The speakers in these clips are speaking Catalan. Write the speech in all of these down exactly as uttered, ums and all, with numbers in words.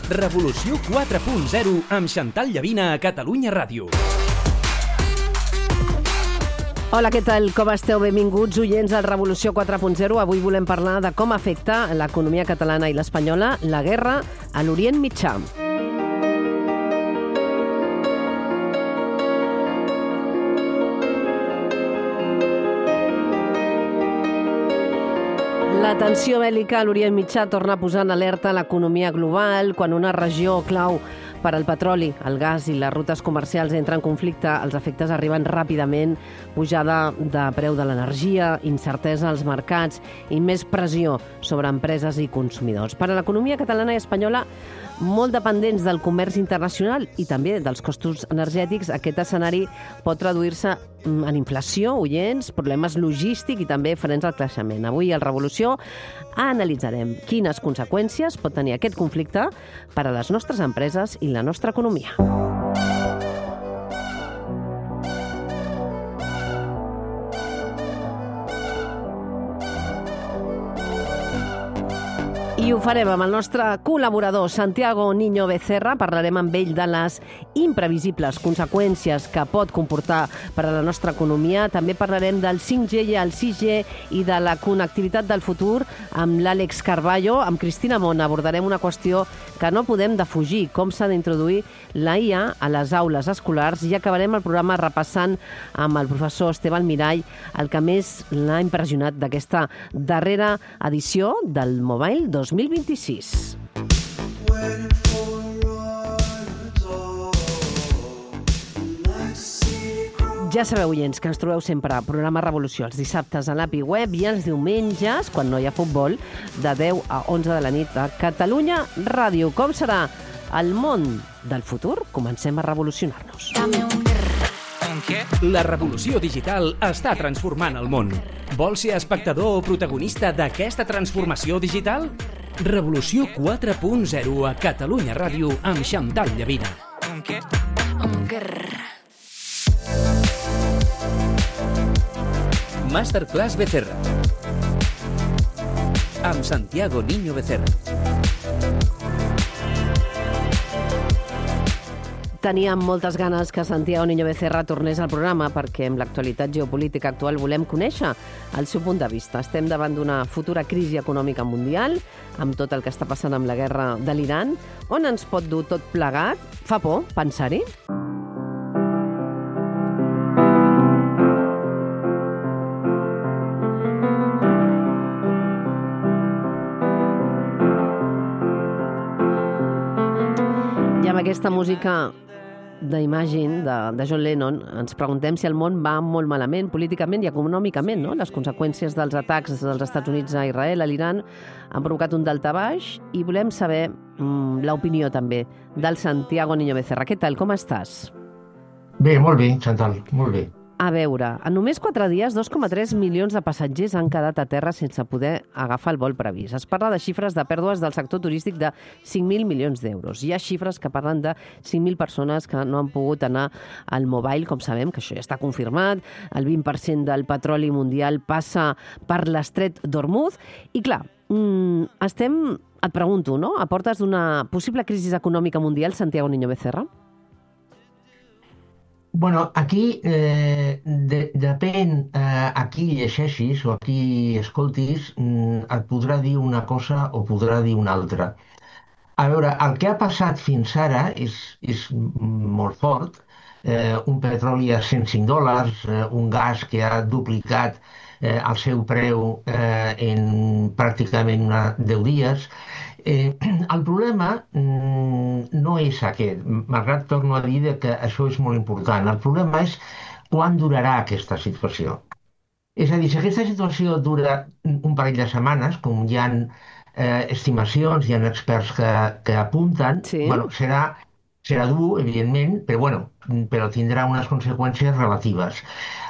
Revolució quatre punt zero amb Xantal Llavina a Catalunya Ràdio. Hola, què tal? Com esteu? Benvinguts, oients al Revolució quatre punt zero. Avui volem parlar de com afecta l'economia catalana i l'espanyola la guerra a l'Orient Mitjà. La tensió bèl·lica a l'Orient Mitjà torna a posar en alerta l'economia global quan una regió clau per al petroli, el gas i les rutes comercials entren en conflicte. Els efectes arriben ràpidament, pujada de preu de l'energia, incertesa als mercats i més pressió sobre empreses i consumidors. Per a l'economia catalana i espanyola, molt dependents del comerç internacional i també dels costos energètics, aquest escenari pot traduir-se en inflació, oients, problemes logístics i també frens al creixement. Avui, al Revolució, analitzarem quines conseqüències pot tenir aquest conflicte per a les nostres empreses i la nostra economia. I ho farem amb el nostre col·laborador Santiago Niño Becerra. Parlarem amb ell de les imprevisibles conseqüències que pot comportar per a la nostra economia. També parlarem del cinc G i el sis G i de la connectivitat del futur amb l'Àlex Carballo. Amb Cristina Mont abordarem una qüestió que no podem defugir, com s'ha d'introduir la I A a les aules escolars, i acabarem el programa repassant amb el professor Esteban Mirall el que més l'ha impressionat d'aquesta darrera edició del Mobile dos mil vint-i-sis. Ja sabeu, oients, que ens trobeu sempre a programa Revolució els dissabtes a l'A P I Web i els diumenges, quan no hi ha futbol, de deu a onze de la nit a Catalunya Ràdio. Com serà el món del futur? Comencem a revolucionar-nos. La revolució digital està transformant el món. Vols ser espectador o protagonista d'aquesta transformació digital? Revolució quatre punt zero a Catalunya Ràdio amb Xantal Llavina. Masterclass Becerra amb Santiago Niño Becerra. Teníem moltes ganes que Santiago Niño Becerra tornés al programa perquè amb l'actualitat geopolítica actual volem conèixer el seu punt de vista. Estem davant d'una futura crisi econòmica mundial, amb tot el que està passant amb la guerra de l'Iran. On ens pot dur tot plegat? Fa por pensar-hi? I amb aquesta música d'Imagine, de, de John Lennon, ens preguntem si el món va molt malament políticament i econòmicament, no? Les conseqüències dels atacs dels Estats Units a Israel, a l'Iran, han provocat un daltabaix i volem saber mm, l'opinió també del Santiago Niño Becerra. Què tal, com estàs? Bé, molt bé, Chantal, molt bé. A veure, en només quatre dies, dos coma tres milions de passatgers han quedat a terra sense poder agafar el vol previst. Es parla de xifres de pèrdues del sector turístic de cinc mil milions d'euros. Hi ha xifres que parlen de cinc mil persones que no han pogut anar al Mobile, com sabem, que això ja està confirmat. El vint per cent del petroli mundial passa per l'estret d'Hormuz. I clar, mm, estem, et pregunto, no?, a portes d'una possible crisi econòmica mundial, Santiago Niño Becerra? Bueno, aquí eh, de, depèn eh, a qui llegeixis o a qui escoltis, mm, et podrà dir una cosa o podrà dir una altra. A veure, el que ha passat fins ara és, és molt fort. Eh, un petroli a cent cinc dòlars, eh, un gas que ha duplicat eh, el seu preu eh, en pràcticament una, deu dies. Eh, el problema mm, no és aquest, malgrat torno a dir que això és molt important. El problema és quan durarà aquesta situació. És a dir, si aquesta situació dura un parell de setmanes, com hi ha eh, estimacions, hi ha experts que, que apunten, sí. bueno, serà, serà dur, evidentment, però, bueno, però tindrà unes conseqüències relatives.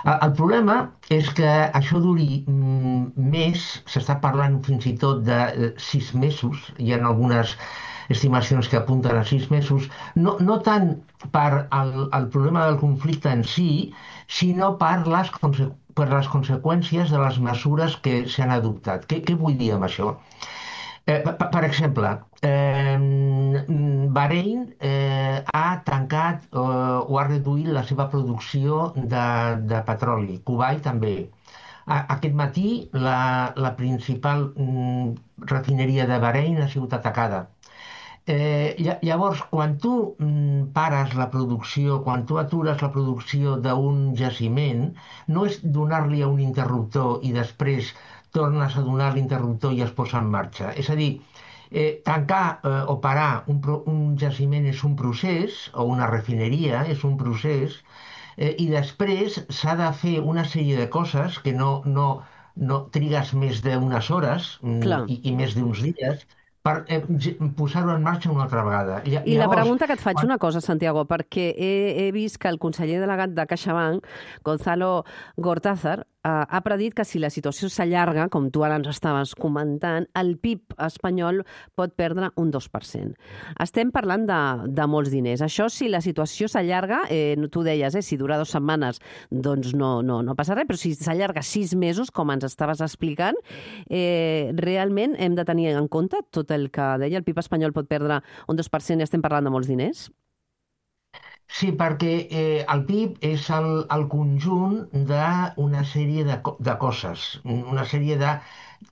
El problema és que això duri més, s'està parlant fins i tot de sis mesos, hi ha algunes estimacions que apunten a sis mesos, no, no tant per el, el problema del conflicte en si, sinó per les, per les conseqüències de les mesures que s'han adoptat. Què, què vull dir amb això? Eh, per, per exemple, eh, Bahrein eh, ha tancat eh, o ha reduït la seva producció de, de petroli. Kuwait també. A, aquest matí la, la principal mm, refineria de Bahrein ha sigut atacada. Eh, lla- llavors, quan tu mm, pares la producció, quan tu atures la producció d'un jaciment, no és donar-li a un interruptor i després tornes a donar l'interruptor i es posa en marxa. És a dir, eh, tancar eh, o parar un, pro- un jaciment és un procés, o una refineria és un procés, eh, i després s'ha de fer una sèrie de coses que no, no, no trigues més d'unes hores mm, Clar. i, i més d'uns dies per eh, ge- posar-ho en marxa una altra vegada. Lla- I la Llavors, pregunta que et faig quan... una cosa, Santiago, perquè he, he vist que el conseller delegat de CaixaBank, Gonzalo Gortázar, eh, ha predit que si la situació s'allarga, com tu ara ens estaves comentant, el P I B espanyol pot perdre un dos per cent. Estem parlant de, de molts diners. Això, si la situació s'allarga, eh, tu deies, eh, si dura dues setmanes, doncs no, no, no passa res, però si s'allarga sis mesos, com ens estaves explicant, eh, realment hem de tenir en compte tot el que deia, el P I B espanyol pot perdre un dos per cent i estem parlant de molts diners? Sí, perquè eh, el P I B és el, el conjunt d'una sèrie de, co- de coses, una sèrie de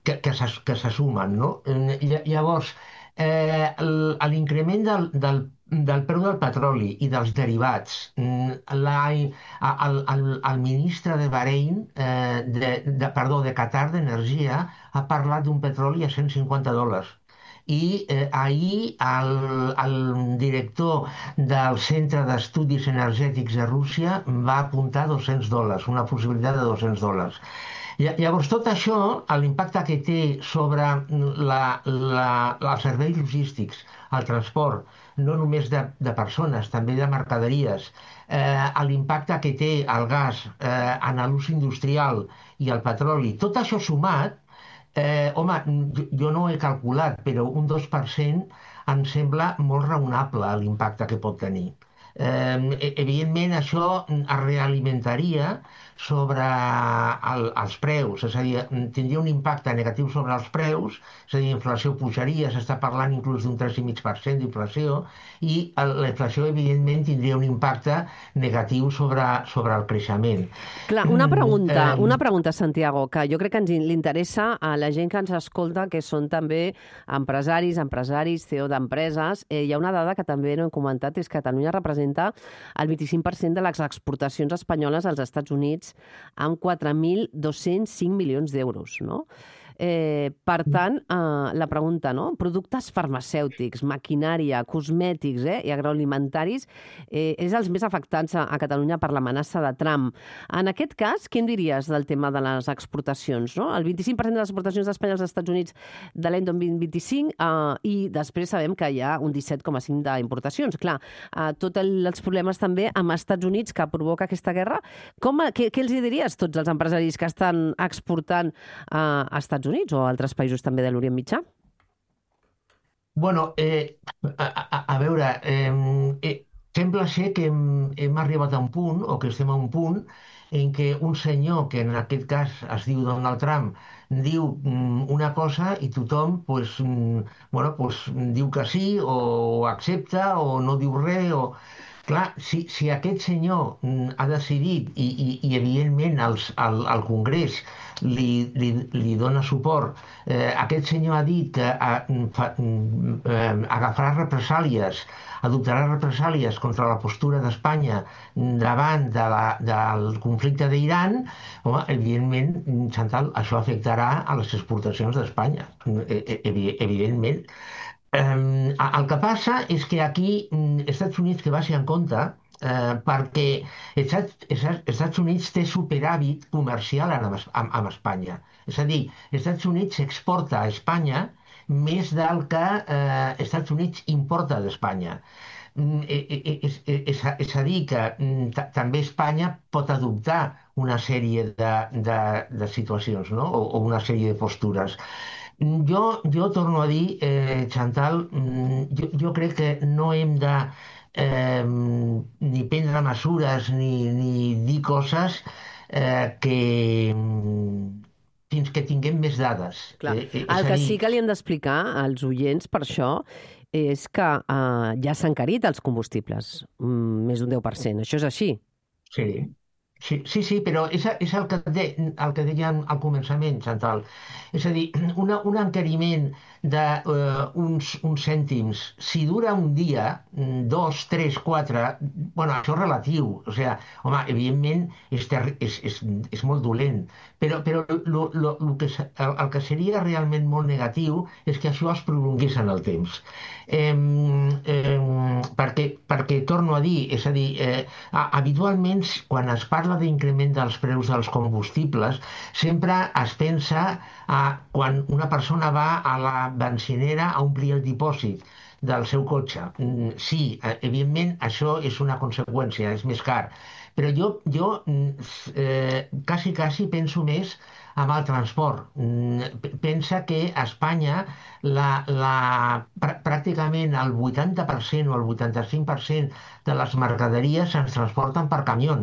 que, que se, que se sumen, no? Eh, lla- Llavors, eh, el- l'increment del, del, del preu del petroli i dels derivats, mm, la, a- el, el, el ministre de Bahrein, eh, de, de, perdó, de Qatar d'Energia, ha parlat d'un petroli a cent cinquanta dòlars. I eh, ahir el, el director del Centre d'Estudis Energètics de Rússia va apuntar dos-cents dòlars, una possibilitat de dos-cents dòlars. Lla- Llavors, tot això, l'impacte que té sobre la, la, els serveis logístics, el transport, no només de, de persones, també de mercaderies, eh, l'impacte que té el gas eh, en l'ús industrial i el petroli, tot això sumat, eh, home, jo, jo no ho he calculat, però un dos per cent em sembla molt raonable l'impacte que pot tenir. Eh, e- evidentment, això es realimentaria sobre el, els preus, és a dir, tindria un impacte negatiu sobre els preus, és a dir, la inflació pujaria, s'està parlant inclús d'un tres coma cinc per cent d'inflació, i el- la inflació, evidentment, tindria un impacte negatiu sobre, sobre el creixement. Clar, una Mm, pregunta, una eh, pregunta, Santiago, que jo crec que ens in- li interessa a la gent que ens escolta, que són també empresaris, empresaris, C E O d'empreses. Eh, hi ha una dada que també no hem comentat, és que Catalunya representa el vint-i-cinc per cent de les exportacions espanyoles als Estats Units amb quatre mil dos-cents cinc milions d'euros, no? Eh, per tant, eh, la pregunta, no? Productes farmacèutics, maquinària, cosmètics eh, i agroalimentaris eh, és els més afectats a, a Catalunya per l'amenaça de Trump. En aquest cas, què em diries del tema de les exportacions? No? El vint-i-cinc per cent de les exportacions d'Espanya als Estats Units de l'any dos mil vint-i-cinc eh, i després sabem que hi ha un disset coma cinc d'importacions. Clar, eh, tots els problemes també amb Estats Units que provoca aquesta guerra. Com, què, què els hi diries tots els empresaris que estan exportant eh, a Estats Units o a altres països també de l'Orient Mitjà? Bueno, eh, a, a, a veure, eh, eh, sembla ser que hem, hem arribat a un punt, o que estem a un punt, en què un senyor, que en aquest cas es diu Donald Trump, diu mm, una cosa i tothom pues, mm, bueno, pues, diu que sí, o accepta, o no diu res, o... Clar, si, si aquest senyor mm, ha decidit, i, i, i evidentment els, el, el Congrés li, li, li dona suport, eh, aquest senyor ha dit que a, fa, eh, agafarà represàlies, adoptarà represàlies contra la postura d'Espanya davant de la, del conflicte d'Iran, home, evidentment, Chantal, això afectarà a les exportacions d'Espanya, eh, eh, evi- evidentment. Eh, el que passa és que aquí mm, Estats Units que va ser en compte eh, perquè Estats, Estats Estats Units té superàvit comercial amb, amb, amb Espanya. És a dir, Estats Units exporta a Espanya més del que eh, Estats Units importa d'Espanya. Mm, eh, eh, eh, És, és, és, a- és a dir, que mm, ta- també Espanya pot adoptar una sèrie de, de, de situacions, no? o, o una sèrie de postures. Jo, jo torno a dir, eh, Chantal, mm, jo, jo crec que no hem de eh, ni prendre mesures ni, ni dir coses eh, que mm, fins, que tinguem més dades. Clar. Eh, eh, El que dir... sí que li hem d'explicar als oients per això és que eh, ja s'han encarit els combustibles, mm, més d'un deu per cent. Això és així? Sí, sí, sí, sí, però és, és el, que de, el que dèiem al començament, Chantal. És a dir, una, un encariment d'uns uh, uns cèntims, si dura un dia, dos, tres, quatre, bueno, això és relatiu. O sigui, home, evidentment és, terri és, és, és molt dolent, però, però lo, lo, lo que, el, el que seria realment molt negatiu és que això es prolongués en el temps. Eh, eh, perquè, perquè, torno a dir, és a dir, eh, habitualment quan es parla d'increment dels preus dels combustibles, sempre es pensa a quan una persona va a la benzinera a omplir el dipòsit del seu cotxe. Sí, evidentment això és una conseqüència, és més car. Però jo, jo eh, quasi, quasi penso més amb el transport. Pensa que a Espanya la, la, pr pràcticament el vuitanta per cent o el vuitanta-cinc per cent de les mercaderies se'ns transporten per camió.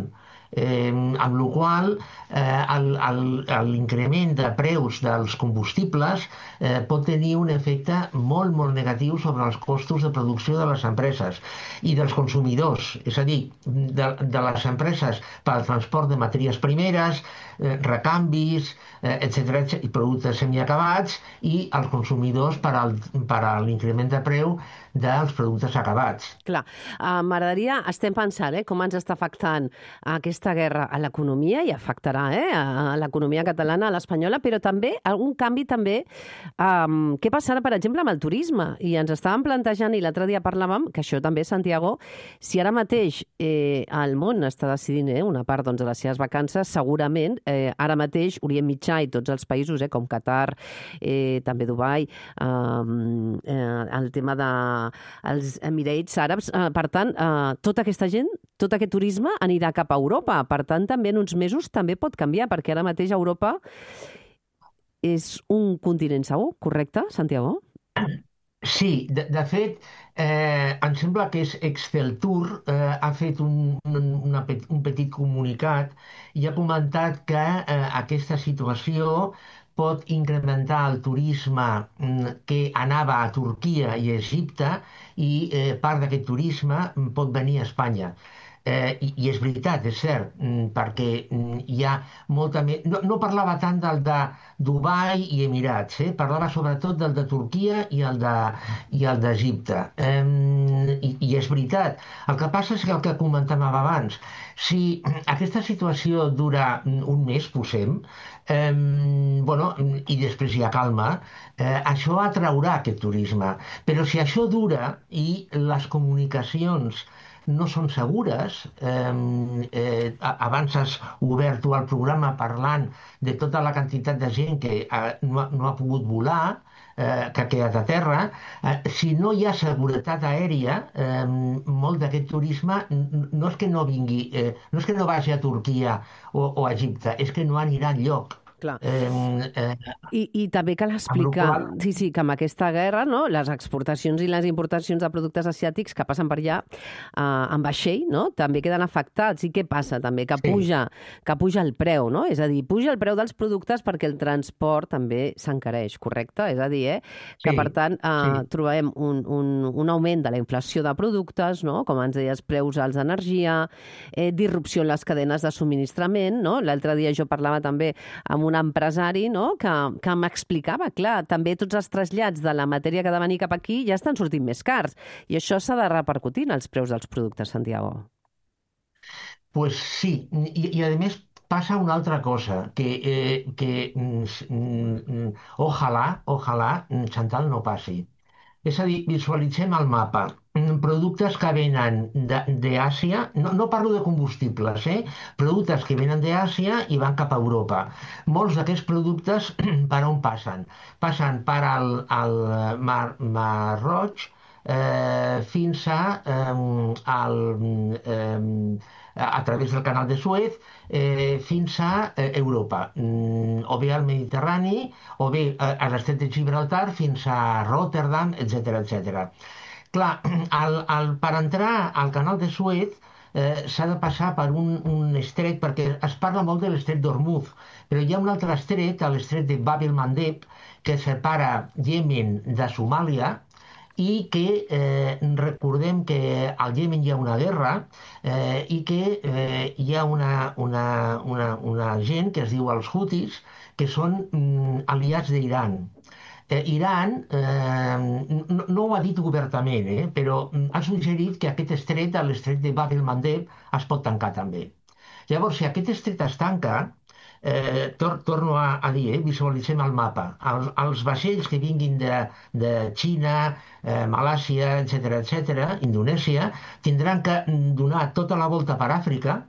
Eh, amb la qual cosa eh, l'increment de preus dels combustibles eh, pot tenir un efecte molt, molt negatiu sobre els costos de producció de les empreses i dels consumidors, és a dir, de, de les empreses pel transport de matèries primeres, eh, recanvis, eh, etcètera, i productes semiacabats, i els consumidors per, al, per a l'increment de preu dels productes acabats. Clar, uh, m'agradaria, estem pensant eh, com ens està afectant aquesta guerra a l'economia, i afectarà eh, a l'economia catalana, a l'espanyola, però també algun canvi també. Um, què passarà, per exemple, amb el turisme? I ens estàvem plantejant, i l'altre dia parlàvem, que això també, Santiago, si ara mateix eh, el món està decidint eh, una part doncs, de les seves vacances, segurament eh, ara mateix Orient Mitjà i tots els països, eh, com Qatar, eh, també Dubai, eh, eh, el tema de els Emirates Àrabs. Per tant, tota aquesta gent, tot aquest turisme anirà cap a Europa. Per tant, també en uns mesos també pot canviar, perquè ara mateix Europa és un continent segur, correcte, Santiago? Sí, de, de fet, eh, em sembla que és Exceltur, eh, ha fet un, un, una, un petit comunicat i ha comentat que eh, aquesta situació pot incrementar el turisme que anava a Turquia i a Egipte, i eh, part d'aquest turisme pot venir a Espanya. Eh, i, I és veritat, és cert, perquè hi ha molta més... No, no parlava tant del de Dubai i Emirats, eh? Parlava sobretot del de Turquia i el de, i el d'Egipte. Eh, i, I és veritat. El que passa és que el que comentàvem abans, si aquesta situació dura un mes, posem, eh, bueno, i després hi ha calma, eh, això atraurà aquest turisme. Però si això dura i les comunicacions no són segures, eh, eh, abans has obert tu el programa parlant de tota la quantitat de gent que eh, no, ha, no ha pogut volar, eh, que ha quedat a terra, eh, si no hi ha seguretat aèria, eh, molt d'aquest turisme no és que no vingui, eh, no és que no vagi a Turquia o, o a Egipte, és que no anirà enlloc. Clar. Eh, eh, I, I també cal explicar, qual... sí, sí, que amb aquesta guerra, no, les exportacions i les importacions de productes asiàtics que passen per allà eh, en vaixell, no, també queden afectats. I què passa també? Que puja, sí. que puja el preu, no? És a dir, puja el preu dels productes perquè el transport també s'encareix, correcte? És a dir, eh, que sí, per tant eh, sí. trobem un, un, un augment de la inflació de productes, no? Com ens deies, preus alts d'energia, eh, disrupció en les cadenes de subministrament, no? L'altre dia jo parlava també amb un un empresari, no?, que, que m'explicava, clar, també tots els trasllats de la matèria que ha de venir cap aquí ja estan sortint més cars. I això s'ha de repercutir en els preus dels productes, Santiago. Pues sí, i, i a més passa una altra cosa, que, eh, que mm, mm, ojalà, ojalà, Chantal, no passi. És a dir, visualitzem el mapa. Productes que venen d'Àsia, no, no parlo de combustibles, eh? Productes que venen d'Àsia i van cap a Europa. Molts d'aquests productes per on passen? Passen per al, al Mar, Mar Roig eh, fins a, eh, al, eh, a través del canal de Suez, eh, fins a eh, Europa, mm, o bé al Mediterrani, o bé a, a l'estret de Gibraltar fins a Rotterdam, etcètera, etcètera. Clar, el, el, per entrar al canal de Suez eh, s'ha de passar per un, un estret, perquè es parla molt de l'estret d'Ormuz, però hi ha un altre estret, l'estret de Bab el-Mandeb, que separa Iemen de Somàlia, i que eh, recordem que al Iemen hi ha una guerra eh, i que eh, hi ha una, una, una, una gent que es diu els Houthis, que són mm, aliats d'Iran. Eh, Iran eh, no, no ho ha dit obertament, eh, però ha suggerit que aquest estret, l'estret de Bab el-Mandeb, es pot tancar també. Llavors, si aquest estret es tanca, Eh, tor torno a, a dir, eh, visualitzem el mapa. Els, els vaixells que vinguin de, de Xina, eh, Malàsia, etcètera, etcètera, Indonèsia, tindran que donar tota la volta per Àfrica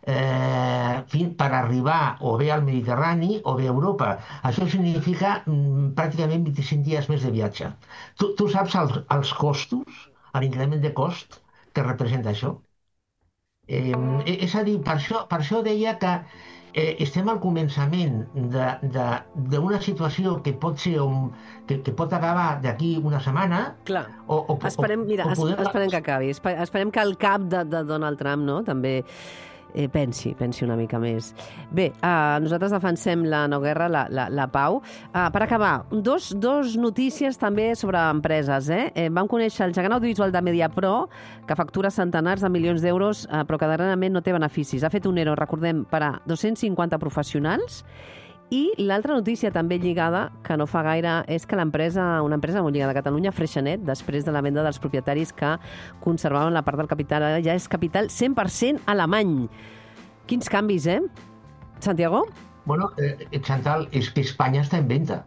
eh, per arribar o bé al Mediterrani o bé a Europa. Això significa mm, pràcticament vint-i-cinc dies més de viatge. Tu, tu saps els, els costos, l'increment de cost que representa això? Eh, és a dir, per això, per això deia que eh, estem al començament d'una situació que pot ser un, que, que pot acabar d'aquí una setmana. Clar. O, o, esperem, mira, o poder... esperem que acabi. Esperem que el cap de, de Donald Trump, no?, també eh, pensi, pensi una mica més. Bé, eh, nosaltres defensem la no guerra, la, la, la pau. Eh, per acabar, dos, dos notícies també sobre empreses. Eh? Eh, vam conèixer el gegant audiovisual de Mediapro, que factura centenars de milions d'euros, eh, però que darrerament no té beneficis. Ha fet un ero, recordem, per a dos-cents cinquanta professionals. I l'altra notícia també lligada, que no fa gaire, és que l'empresa, una empresa molt lligada a Catalunya, Freixenet, després de la venda dels propietaris que conservaven la part del capital, ara ja és capital cent per cent alemany. Quins canvis, eh? Santiago? Bueno, eh, Chantal, és que Espanya està en venda.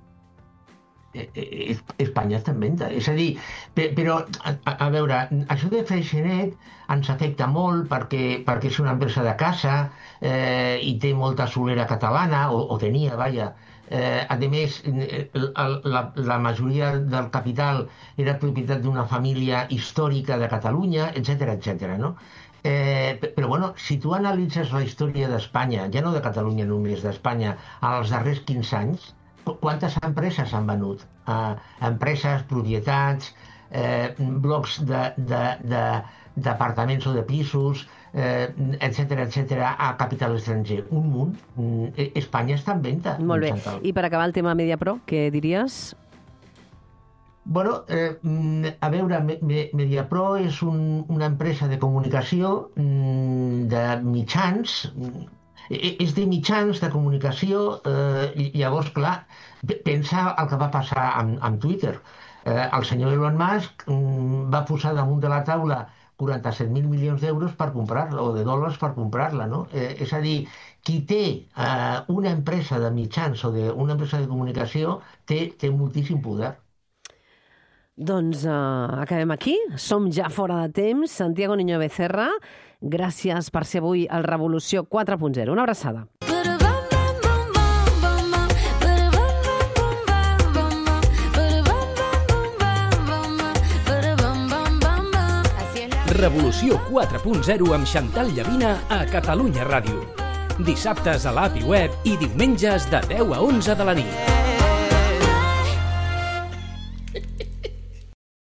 Eh, eh, Espanya està en venda. És a dir, però, a, a veure, això de Freixenet ens afecta molt perquè, perquè és una empresa de casa eh, i té molta solera catalana, o, o tenia, vaja. Eh, a més, la, la majoria del capital era propietat d'una família històrica de Catalunya, etcètera, etcètera, no? Eh, però, bueno, si tu analitzes la història d'Espanya, ja no de Catalunya només, d'Espanya, als darrers quinze anys, quantes empreses s'han venut? Eh, empreses, propietats, eh, blocs d'apartaments o de pisos, eh, etcètera, etcètera, a capital estranger. Un munt. Eh, Espanya està en venda. Molt bé. I per acabar el tema Mediapro, què diries? Bueno, eh, a veure, Mediapro és un, una empresa de comunicació, de mitjans, és de mitjans de comunicació, eh, llavors, clar, pensa el que va passar amb, amb Twitter. Eh, el senyor Elon Musk mm, va posar damunt de la taula quaranta-set mil milions d'euros per comprar-la, o de dòlars per comprar-la, no? Eh, és a dir, qui té eh, una empresa de mitjans o de, una empresa de comunicació té, té moltíssim poder. Doncs uh, acabem aquí. Som ja fora de temps. Santiago Niño Becerra, gràcies per ser avui al Revolució quatre punt zero. Una abraçada. Revolució quatre punt zero amb Chantal Llavina a Catalunya Ràdio. Dissabtes a l'app i web i diumenges de deu a onze de la nit.